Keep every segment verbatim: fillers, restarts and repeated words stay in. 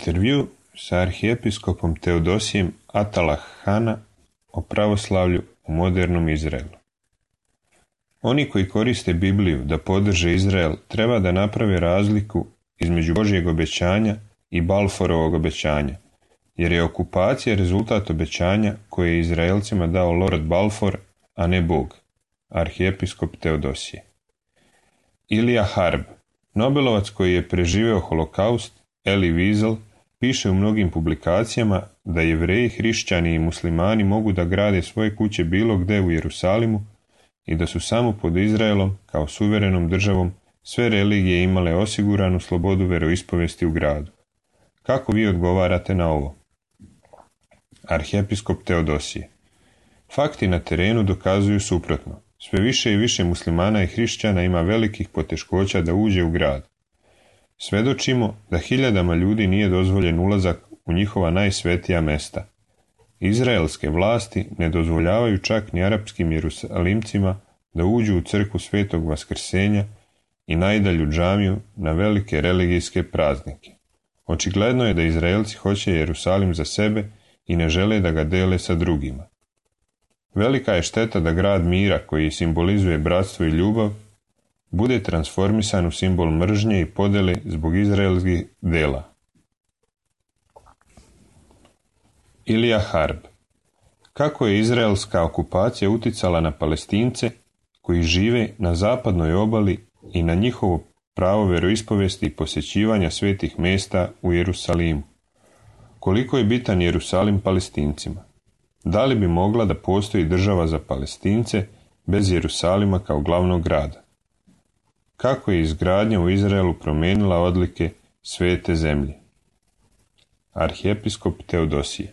Intervju sa arhijepiskopom Teodosijem Atalah Hana o pravoslavlju u modernom Izraelu. Oni koji koriste Bibliju da podrže Izrael treba da naprave razliku između Božjeg obećanja i Balforovog obećanja, jer je okupacija rezultat obećanja koje je Izraelcima dao Lord Balfour, a ne Bog, arhijepiskop Teodosije. Ilija Harb, Nobelovac koji je preživeo holokaust, Elie Wiesel, piše u mnogim publikacijama da Jevreji, hrišćani i muslimani mogu da grade svoje kuće bilo gde u Jerusalimu i da su samo pod Izraelom, kao suverenom državom, sve religije imale osiguranu slobodu veroispovesti u gradu. Kako vi odgovarate na ovo? Arhijepiskop Teodosije. Fakti na terenu dokazuju suprotno. Sve više i više muslimana i hrišćana ima velikih poteškoća da uđe u grad. Svedočimo da hiljadama ljudi nije dozvoljen ulazak u njihova najsvetija mesta. Izraelske vlasti ne dozvoljavaju čak ni arapskim Jerusalimcima da uđu u crkvu Svetog Vaskrsenja i najdalju džamiju na velike religijske praznike. Očigledno je da Izraelci hoće Jerusalim za sebe i ne žele da ga dele sa drugima. Velika je šteta da grad mira, koji simbolizuje bratstvo i ljubav, bude transformisan u simbol mržnje i podele zbog izraelskih dela. Ilija Harb. Kako je izraelska okupacija uticala na Palestince koji žive na zapadnoj obali i na njihovo pravo veroispovesti i posjećivanja svetih mesta u Jerusalimu? Koliko je bitan Jerusalim Palestincima? Da li bi mogla da postoji država za Palestince bez Jerusalima kao glavnog grada? kako je izgradnja u Izraelu promijenila odlike svete zemlje. Arhijepiskop Teodosije.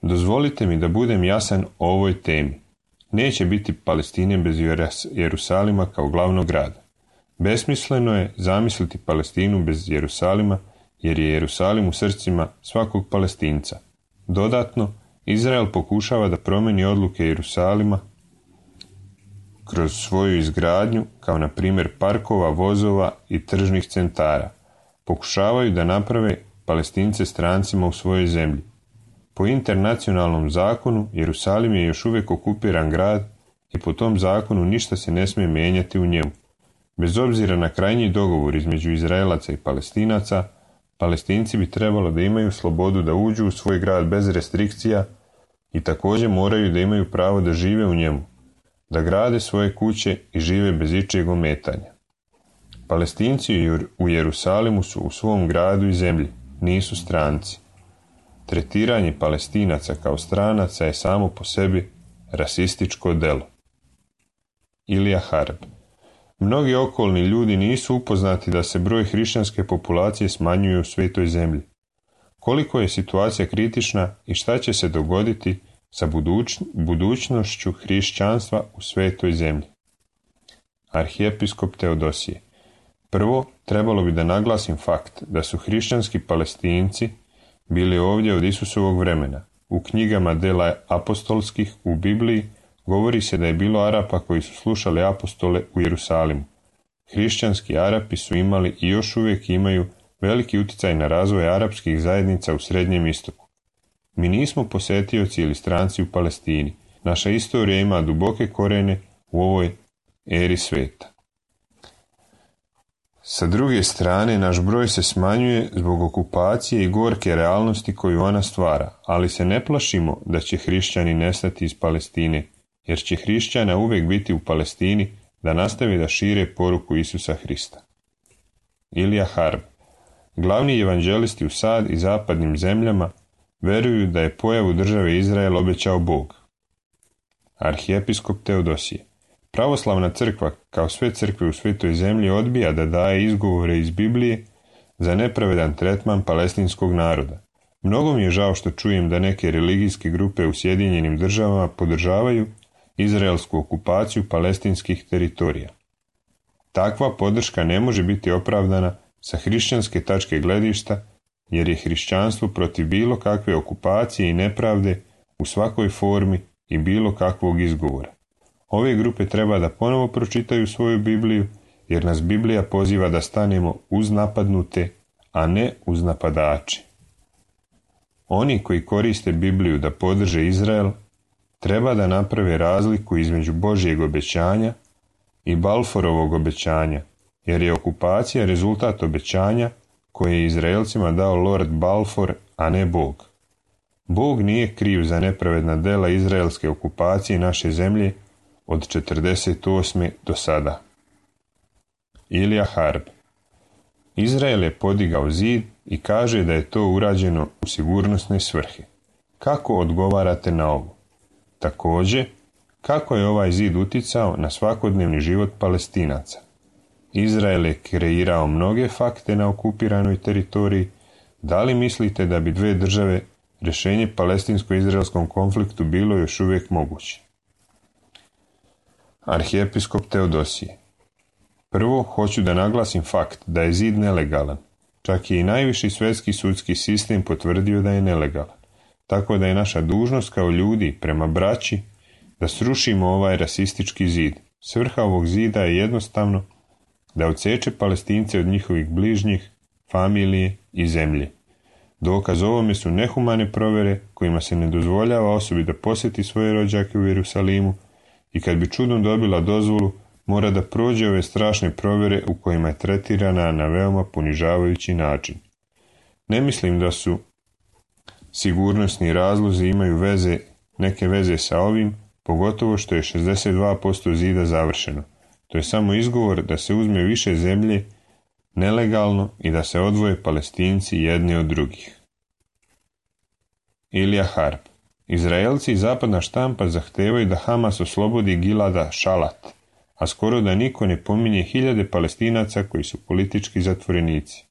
Dozvolite mi da budem jasan o ovoj temi. Neće biti Palestine bez Jerusalima kao glavnog grada. Besmisleno je zamisliti Palestinu bez Jerusalima, jer je Jerusalim u srcima svakog Palestinca. Dodatno, Izrael pokušava da promijeni odluke Jerusalima kroz svoju izgradnju, kao na primjer parkova, vozova i tržnih centara. Pokušavaju da naprave Palestince strancima u svojoj zemlji. Po internacionalnom zakonu, Jerusalim je još uvijek okupiran grad i po tom zakonu ništa se ne smije mijenjati u njemu. Bez obzira na krajnji dogovor između Izraelaca i Palestinaca, Palestinci bi trebalo da imaju slobodu da uđu u svoj grad bez restrikcija i također moraju da imaju pravo da žive u njemu, da grade svoje kuće i žive bez ičijeg ometanja. Palestinci u Jerusalimu su u svom gradu i zemlji, nisu stranci. Tretiranje Palestinaca kao stranaca je samo po sebi rasističko delo. Ilija Harb. Mnogi okolni ljudi nisu upoznati da se broj hrišćanske populacije smanjuje u svetoj zemlji. Koliko je situacija kritična i šta će se dogoditi sa buduć, budućnošću hrišćanstva u svetoj zemlji. Arhijepiskop Teodosije. Prvo, trebalo bi da naglasim fakt da su hrišćanski Palestinci bili ovdje od Isusovog vremena. U knjigama dela apostolskih u Bibliji govori se da je bilo Arapa koji su slušali apostole u Jerusalimu. Hrišćanski Arapi su imali i još uvijek imaju veliki utjecaj na razvoj arapskih zajednica u Srednjem istoku. Mi nismo posetioci ili stranci u Palestini. Naša istorija ima duboke korene u ovoj eri sveta. Sa druge strane, naš broj se smanjuje zbog okupacije i gorke realnosti koju ona stvara, ali se ne plašimo da će hrišćani nestati iz Palestine, jer će hrišćana uvijek biti u Palestini da nastavi da šire poruku Isusa Hrista. Ilija Harb. Glavni evanđelisti u sad i zapadnim zemljama veruju da je pojavu države Izrael obećao Bog. Arhijepiskop Teodosije. Pravoslavna crkva, kao sve crkve u svetoj zemlji, odbija da daje izgovore iz Biblije za nepravedan tretman palestinskog naroda. Mnogo mi je žao što čujem da neke religijske grupe u Sjedinjenim državama podržavaju izraelsku okupaciju palestinskih teritorija. Takva podrška ne može biti opravdana sa hrišćanske tačke gledišta, jer je hrišćanstvo protiv bilo kakve okupacije i nepravde u svakoj formi i bilo kakvog izgovora. Ove grupe treba da ponovo pročitaju svoju Bibliju, jer nas Biblija poziva da stanemo uz napadnute, a ne uz napadače. Oni koji koriste Bibliju da podrže Izrael, treba da naprave razliku između Božjeg obećanja i Balforovog obećanja, jer je okupacija rezultat obećanja koje je Izraelcima dao Lord Balfour, a ne Bog. Bog nije kriv za nepravedna dela izraelske okupacije naše zemlje od četrdeset osme do sada. Ilija Harb. Izrael je podigao zid i kaže da je to urađeno u sigurnosne svrhe. Kako odgovarate na ovo? Također, kako je ovaj zid uticao na svakodnevni život Palestinaca? Izrael je kreirao mnoge fakte na okupiranoj teritoriji. Da li mislite da bi dve države rješenje palestinsko-izraelskom konfliktu bilo još uvijek moguće? Arhijepiskop Teodosije. Prvo, hoću da naglasim fakt da je zid nelegalan. Čak je i najviši svjetski sudski sistem potvrdio da je nelegalan. Tako da je naša dužnost kao ljudi prema braći da srušimo ovaj rasistički zid. Svrha ovog zida je jednostavno da odseče Palestince od njihovih bližnjih, familije i zemlje. Dokaz ovome su nehumane provjere kojima se ne dozvoljava osobi da posjeti svoje rođake u Jerusalimu i kad bi čudom dobila dozvolu, mora da prođe ove strašne provjere u kojima je tretirana na veoma ponižavajući način. Ne mislim da su sigurnosni razlozi imaju veze, neke veze sa ovim, pogotovo što je šezdeset dva posto zida završeno. To je samo izgovor da se uzme više zemlje nelegalno i da se odvoje Palestinci jedni od drugih. Ilija Harb. Izraelci i zapadna štampa zahtevaju da Hamas oslobodi Gilada Šalat, a skoro da niko ne pominje hiljade Palestinaca koji su politički zatvorenici.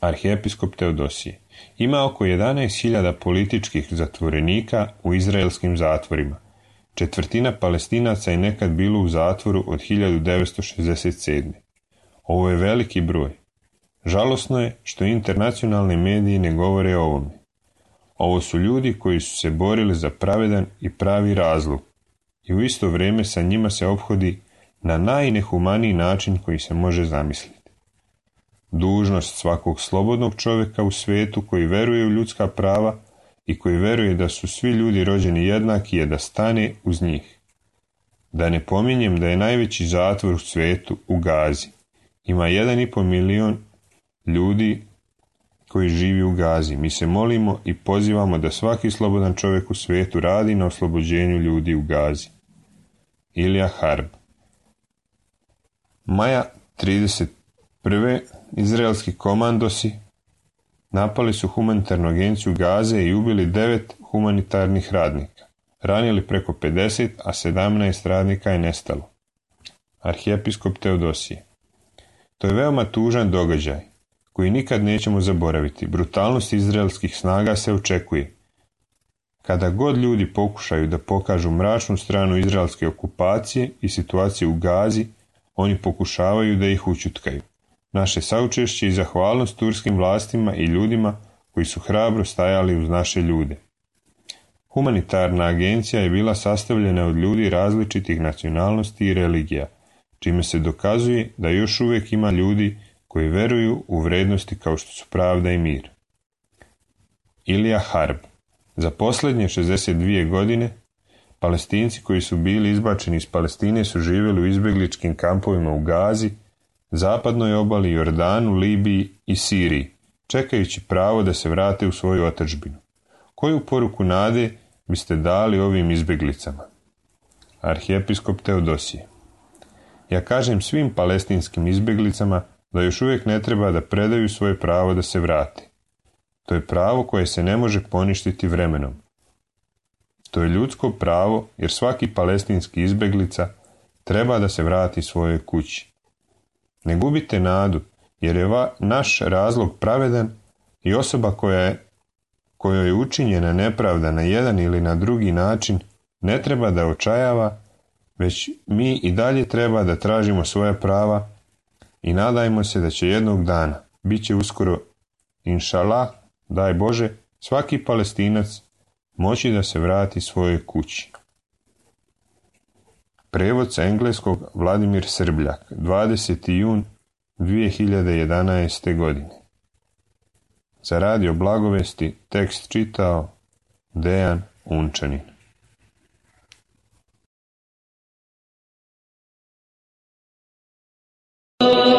Arhijepiskop Teodosije: ima oko jedanaest hiljada političkih zatvorenika u izraelskim zatvorima. Četvrtina Palestinaca je nekad bilo u zatvoru od hiljadu devetsto šezdeset sedme. Ovo je veliki broj. Žalosno je što internacionalni mediji ne govore o ovome. Ovo su ljudi koji su se borili za pravedan i pravi razlog i u isto vrijeme sa njima se ophodi na najnehumaniji način koji se može zamisliti. Dužnost svakog slobodnog čovjeka u svijetu koji veruje u ljudska prava i koji veruje da su svi ljudi rođeni jednaki je da stane uz njih. Da ne pominjem da je najveći zatvor u svijetu u Gazi. Ima jedan i pol milion ljudi koji živi u Gazi. Mi se molimo i pozivamo da svaki slobodan čovjek u svijetu radi na oslobođenju ljudi u Gazi. Ilija Harb. Maja trideset prve. Izraelski komandosi napali su humanitarnu agenciju Gaze i ubili devet humanitarnih radnika. Ranili preko pedeset, a sedamnaest radnika je nestalo. Arhijepiskop Teodosije: to je veoma tužan događaj koji nikad nećemo zaboraviti. Brutalnost izraelskih snaga se očekuje. Kada god ljudi pokušaju da pokažu mračnu stranu izraelske okupacije i situacije u Gazi, oni pokušavaju da ih ućutkaju. Naše saučešće i zahvalnost turskim vlastima i ljudima koji su hrabro stajali uz naše ljude. Humanitarna agencija je bila sastavljena od ljudi različitih nacionalnosti i religija, čime se dokazuje da još uvijek ima ljudi koji veruju u vrednosti kao što su pravda i mir. Ilija Harb. Za posljednje šezdeset dvije godine Palestinci koji su bili izbačeni iz Palestine su živjeli u izbjegličkim kampovima u Gazi, zapadnoj obali, Jordanu, Libiji i Siriji, čekajući pravo da se vrate u svoju otadžbinu. Koju poruku nade biste dali ovim izbjeglicama? Arhijepiskop Teodosije: ja kažem svim palestinskim izbjeglicama da još uvijek ne treba da predaju svoje pravo da se vrate. To je pravo koje se ne može poništiti vremenom. To je ljudsko pravo jer svaki palestinski izbjeglica treba da se vrati svojoj kući. Ne gubite nadu jer je va, naš razlog pravedan i osoba koja je, kojoj je učinjena nepravda na jedan ili na drugi način ne treba da očajava, već mi i dalje treba da tražimo svoja prava i nadajmo se da će jednog dana, bit će uskoro, inšalah, daj Bože, svaki Palestinac moći da se vrati svojoj kući. Prevod sa engleskog Vladimir Srbljak, dvadeseti jun dvije hiljade jedanaeste. godine. Za radio Blagovesti tekst čitao Dejan Unčanin. Oh